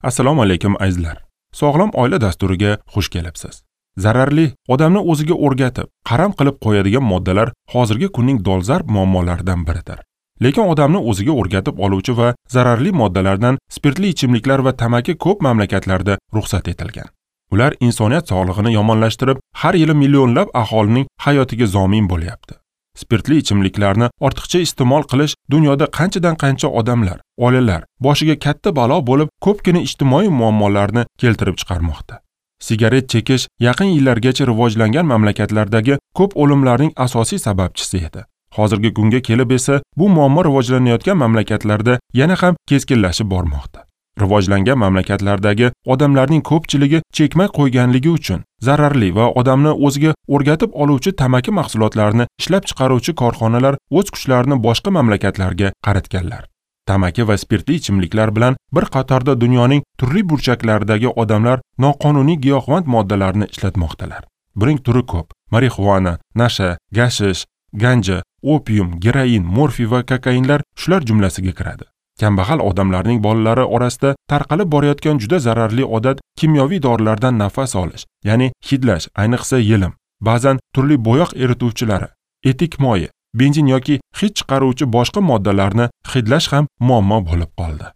Assalomu alaykum azizlar. Sog'lom oila dasturiga xush kelibsiz. Zararli, odamni o'ziga o'rgatib, qaram qilib qo'yadigan moddalar hozirgi kunning dolzarb muammolaridan biridir. Lekin odamni o'ziga o'rgatib oluvchi va zararli moddalardan spirtli ichimliklar va tamaki ko'p mamlakatlarda ruxsat etilgan. Ular insoniyat sog'lig'ini yomonlashtirib, har yili millionlab aholining hayotiga zomin bo'lyapti. Spirtli ichimliklarni ortiqcha iste'mol qilish dunyoda qanchadan-qancha odamlar, oilalar boshiga katta balo bo'lib, ko'pgina ijtimoiy muammolarni keltirib chiqarmoqda. Sigaret chekish yaqin yillargacha rivojlangan mamlakatlardagi ko'p o'limlarning asosiy sababchisi edi. Hozirgi kunga kelib esa bu muammo rivojlanayotgan mamlakatlarda yana ham keskinlashib bormoqda. Rivojlangan mamlakatlardagi odamlarning ko'pchiligi chekmay qo'yganligi uchun zararli va odamni o'ziga o'rgatib oluvchi tamaki mahsulotlarini ishlab chiqaruvchi korxonalar o'z kuchlarini boshqa mamlakatlarga qaratganlar. Tamaki va spirtli ichimliklar bilan bir qatorda dunyoning turli burchaklaridagi odamlar noqonuniy giyohvand moddalarni ishlatmoqdalar. Buning turi ko'p: marixuana, nasha, gashish, ganja, opium, geroin, morfiy va kokainlar shular jumlasiga kiradi. Kambag'al odamlarning bolalari orasida tarqalib borayotgan juda zararli odat kimyoviy dorilardan nafas olish, ya'ni hidlash, ayniqsa yelim, ba'zan turli bo'yoq erituvchilari, etik moyi, benzin yoki hid chiqaruvchi boshqa moddalarni hidlash ham muammo bo'lib qoldi.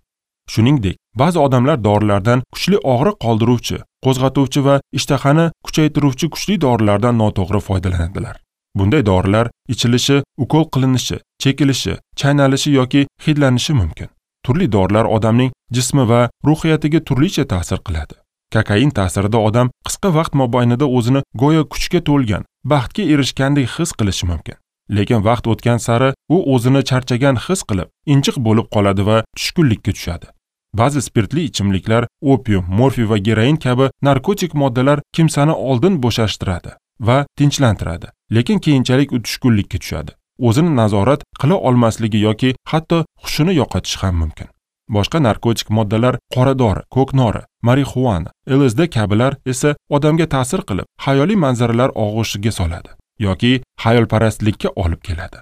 Shuningdek, ba'zi odamlar dorilardan kuchli og'riq qoldiruvchi, qo'zg'atuvchi va ishtahani kuchaytiruvchi kuchli dorilardan noto'g'ri foydalanadilar. Bunday dorilar ichilishi, ukol qilinishi, chekilishi, chaynalishi yoki hidlanishi mumkin. Turli dorilar odamning jismi va ruhiyatiga turlicha ta'sir qiladi. Kokain ta'sirida odam qisqa vaqt mobaynida o'zini go'yo kuchga to'lgan, baxtga erishgandek his qilishi mumkin. Lekin vaqt o'tgan sari u o'zini charchagan his qilib, injiq bo'lib qoladi va tushkunlikka tushadi. Ba'zi spirtli ichimliklar, opium, morfiy va geroin kabi narkotik moddalar kimsani oldin bo'shashtiradi va tinchlantiradi, lekin keyinchalik u tushkunlikka tushadi. O'zini nazorat qila olmasligi yoki hatto hushini yo'qotishi ham mumkin. Boshqa narkotik moddalar qora dori, ko'knori, marixuana, LSD kabilar esa odamga ta'sir qilib, xayoliy manzaralar og'ushiga soladi yoki xayolparastlikka olib keladi.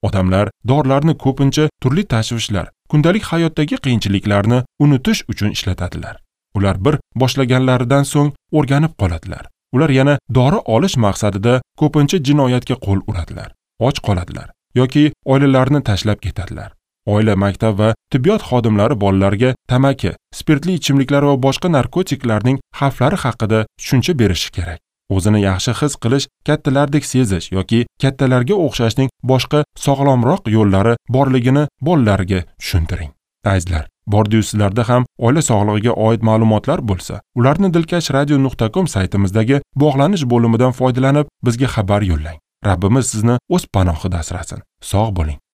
Odamlar dorilarni ko'pincha turli tashvishlar, kundalik hayotdagi qiyinchiliklarni unutish uchun ishlatadilar. Ular bir boshlaganlaridan so'ng o'rganib qoladilar. Ular yana dori olish maqsadida ko'pincha jinoyatga qo'l uradilar, och qoladilar yoki oilalarini tashlab ketadilar. Oila, maktab va tibbiyot xodimlari bolalarga tamaki, spirtli ichimliklar va boshqa narkotiklarning xavflari haqida tushuncha berishi kerak. O'zini yaxshi his qilish, kattalardek sezish yoki kattalarga o'xshashning boshqa sog'lomroq yo'llari borligini bolalarga tushuntiring. Azizlar, bordiyu sizlarda ham oila sog'lig'iga oid ma'lumotlar bo'lsa, ularni dilkashradio.com saytimizdagi bog'lanish bo'limidan foydalanib bizga xabar yo'llang. Rabbimiz sizni o'z panohida asrasin. Sog' bo'ling.